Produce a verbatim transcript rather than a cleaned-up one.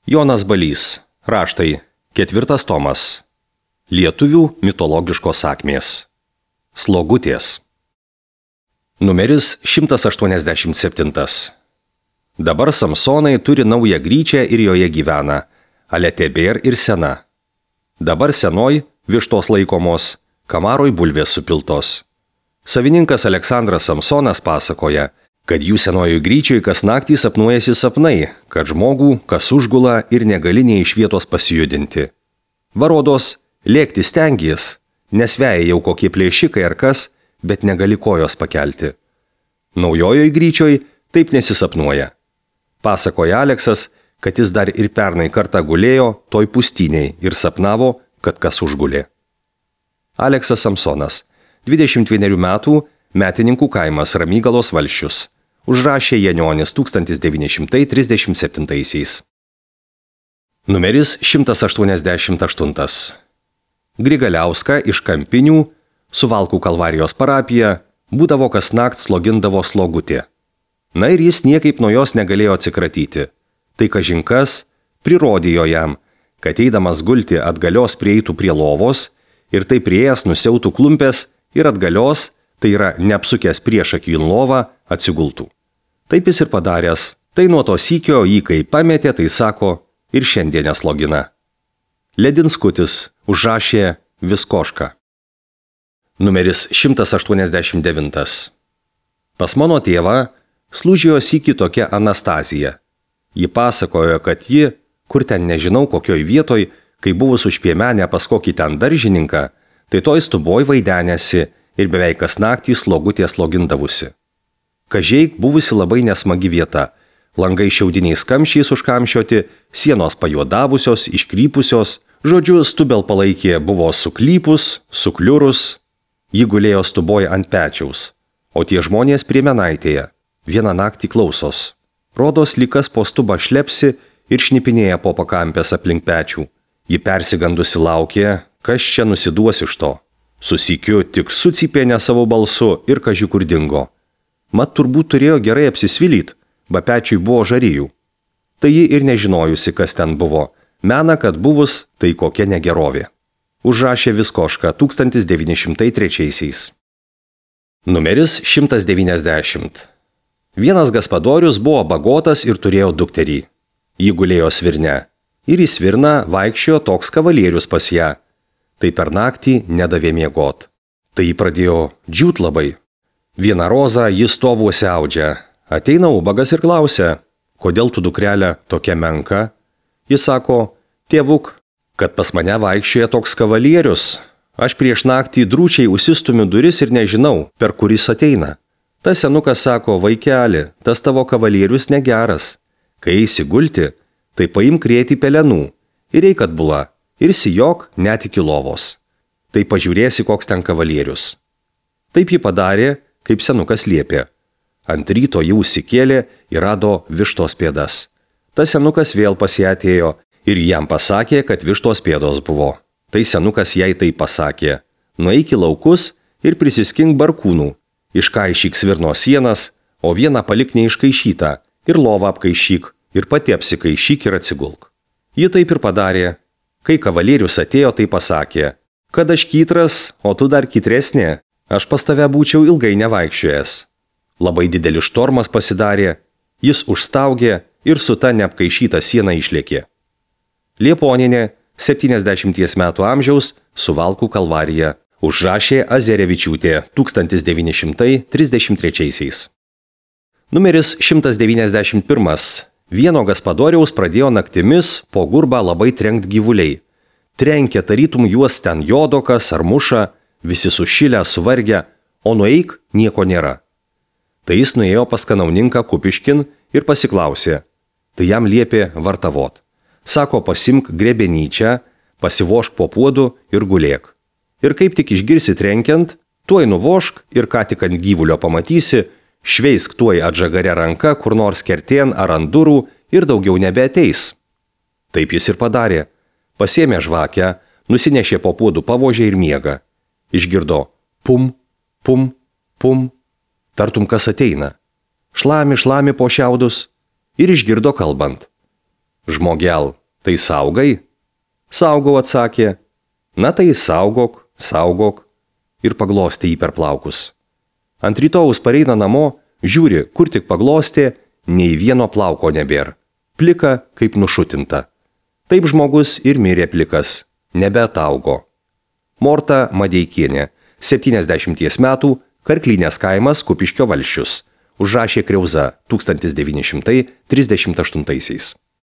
Jonas Balys. Raštai. Ketvirtas tomas. Lietuvių mitologiškos sakmės. Slogutės. Numeris šimtas aštuoniasdešimt septyni. Dabar Samsonai turi naują gryčią ir joje gyvena, ale tebėr ir sena. Dabar senoj vištos laikomos, kamaroj bulvės supiltos. Savininkas Aleksandras Samsonas pasakoja, kad jų senojoj gryčioj kas naktį sapnuojasi sapnai, kad žmogų kas užgula ir negali nei iš vietos pasijudinti. Varodos, lėkti stengies, nesveja jau kokie plėšikai ar kas, bet negali kojos pakelti. Naujojoj gryčioj taip nesisapnuoja. Pasakoja Aleksas, kad jis dar ir pernai kartą gulėjo toj pustiniai ir sapnavo, kad kas užgulė. Aleksas Samsonas, dvidešimt vienerių metų, Metininkų kaimas Ramygalos valsčius. Užrašė Janionis tūkstantis devyni šimtai trisdešimt septintaisiais. Numeris šimtas aštuoniasdešimt aštuoni. Grigaliauską iš Kampinių, Suvalkų Kalvarijos parapija, būdavo kas nakt slogindavo slogutė. Na ir jis niekaip nuo jos negalėjo atsikratyti. Tai kažinkas prirodėjo jam, kad eidamas gulti atgalios prieitų prie lovos ir tai prieėjęs nusiautų klumpės ir atgalios, tai yra neapsukęs priešakį į lovą, atsigultų. Taip jis ir padaręs, tai nuo to sykio jį kai pametė, tai sako, ir šiandien neslogina. Ledinskutis užrašė Viskošką. Numeris šimtas aštuoniasdešimt devinti. Pas mano tėvą slūžijo sykį tokia Anastazija. Ji pasakojo, kad ji, kur ten nežinau kokioj vietoj, kai buvus užpiemenę pas kokį ten daržininką, tai toj stuboj vaidenėsi ir beveik kas naktį slogutė slogindavusi. Kažeik buvusi labai nesmagi vieta, langai šiaudiniais kamščiais užkamšioti, sienos pajuodavusios, iškrypusios, žodžiu, stubel palaikė buvo suklypus, sukliurus, ji gulėjo stuboj ant pečiaus, o tie žmonės prie menaitėje, vieną naktį klausos. Rodos lykas po stubą šlepsi ir šnipinėja po pakampės aplink pečių. Ji persigandusi laukė, kas čia nusiduos iš to. Susykiu tik sucypė ne savo balsu ir kaži kur dingo. Mat turbūt turėjo gerai apsisvilyt, ba pečiui buvo žarijų. Tai ji ir nežinojusi, kas ten buvo. Mena, kad buvus, tai kokia negerovė. Užrašė Viskošką tūkstantis devyni šimtai trečiaisiais. Numeris šimtas devyniasdešimt. Vienas gaspadorius buvo bagotas ir turėjo dukterį. Ji gulėjo svirne. Ir į svirną vaikščiojo toks kavalierius pas ją. Tai per naktį nedavė miegot. Tai jį pradėjo džiūt labai. Vieną rozą jis stovuose audžia. Ateina ubagas ir klausia, kodėl tu dukrelė tokia menka? Jis sako, tėvuk, kad pas mane vaikščioja toks kavalierius. Aš prieš naktį drūčiai užsistumiu duris ir nežinau, per kuris ateina. Tas senukas sako, vaikeli, tas tavo kavalierius negeras. Kai eisi gulti, tai paimk krėti pelenų ir eik atbula. Ir sijok net iki lovos. Tai pažiūrėsi, koks ten kavalierius. Taip ji padarė, kaip senukas liepė. Ant ryto jau užsikėlė ir rado vištos pėdas. Tas senukas vėl pas ją atėjo ir jam pasakė, kad vištos pėdos buvo. Tai senukas jai tai pasakė. Nueik į laukus ir prisiskink barkūnų. Iškaišyk svirno sienas, o vieną palik neiškaišytą. Ir lovą apkaišyk, ir pati apsikaišyk ir atsigulk. Ji taip ir padarė. Kai kavalierius atėjo, tai pasakė, kad aš kytras, o tu dar kytresnė, aš pas tave būčiau ilgai nevaikščiojęs. Labai didelis štormas pasidarė, jis užstaugė ir su ta neapkaišyta siena išlėkė. Lieponinė, septyniasdešimties metų amžiaus, Suvalkų Kalvarija, užrašė Azerevičiūtė tūkstantis devyni šimtai trisdešimt trečiaisiais. Numeris šimtas devyniasdešimt pirmas. Vieno gaspadoriaus pradėjo naktimis po gurbą labai trenkt gyvuliai. Trenkė tarytum juos ten jodokas ar muša, visi sušilę, suvargę, o nueik nieko nėra. Tai jis nuėjo pas kanauninką Kupiškin ir pasiklausė. Tai jam liepė vartavot. Sako, pasimk grebenyčią, pasivošk po puodu ir gulėk. Ir kaip tik išgirsi trenkiant, tuoj nuvošk ir ką tik ant gyvulio pamatysi, šveisk tuoj atžagare ranka kur nors kertien ar ant durų ir daugiau nebeateis. Taip jis ir padarė. Pasėmė žvakę, nusinešė po puodų pavožę ir miega. Išgirdo pum, pum, pum, tartum kas ateina. Šlami, šlami po šiaudus ir išgirdo kalbant. Žmogel, tai saugai? Saugau, atsakė. Na tai saugok, saugok. Ir paglostė jį per plaukus. Ant rytojaus pareina namo, žiūri, kur tik paglostė, nei vieno plauko nebėr. Plika kaip nušutinta. Taip žmogus ir mirė plikas, nebeataugo. Morta Madeikienė, septyniasdešimties metų, Karklynės kaimas, Kupiškio valsčius. Užrašė Kriauza tūkstantis devyni šimtai trisdešimt aštuntaisiais.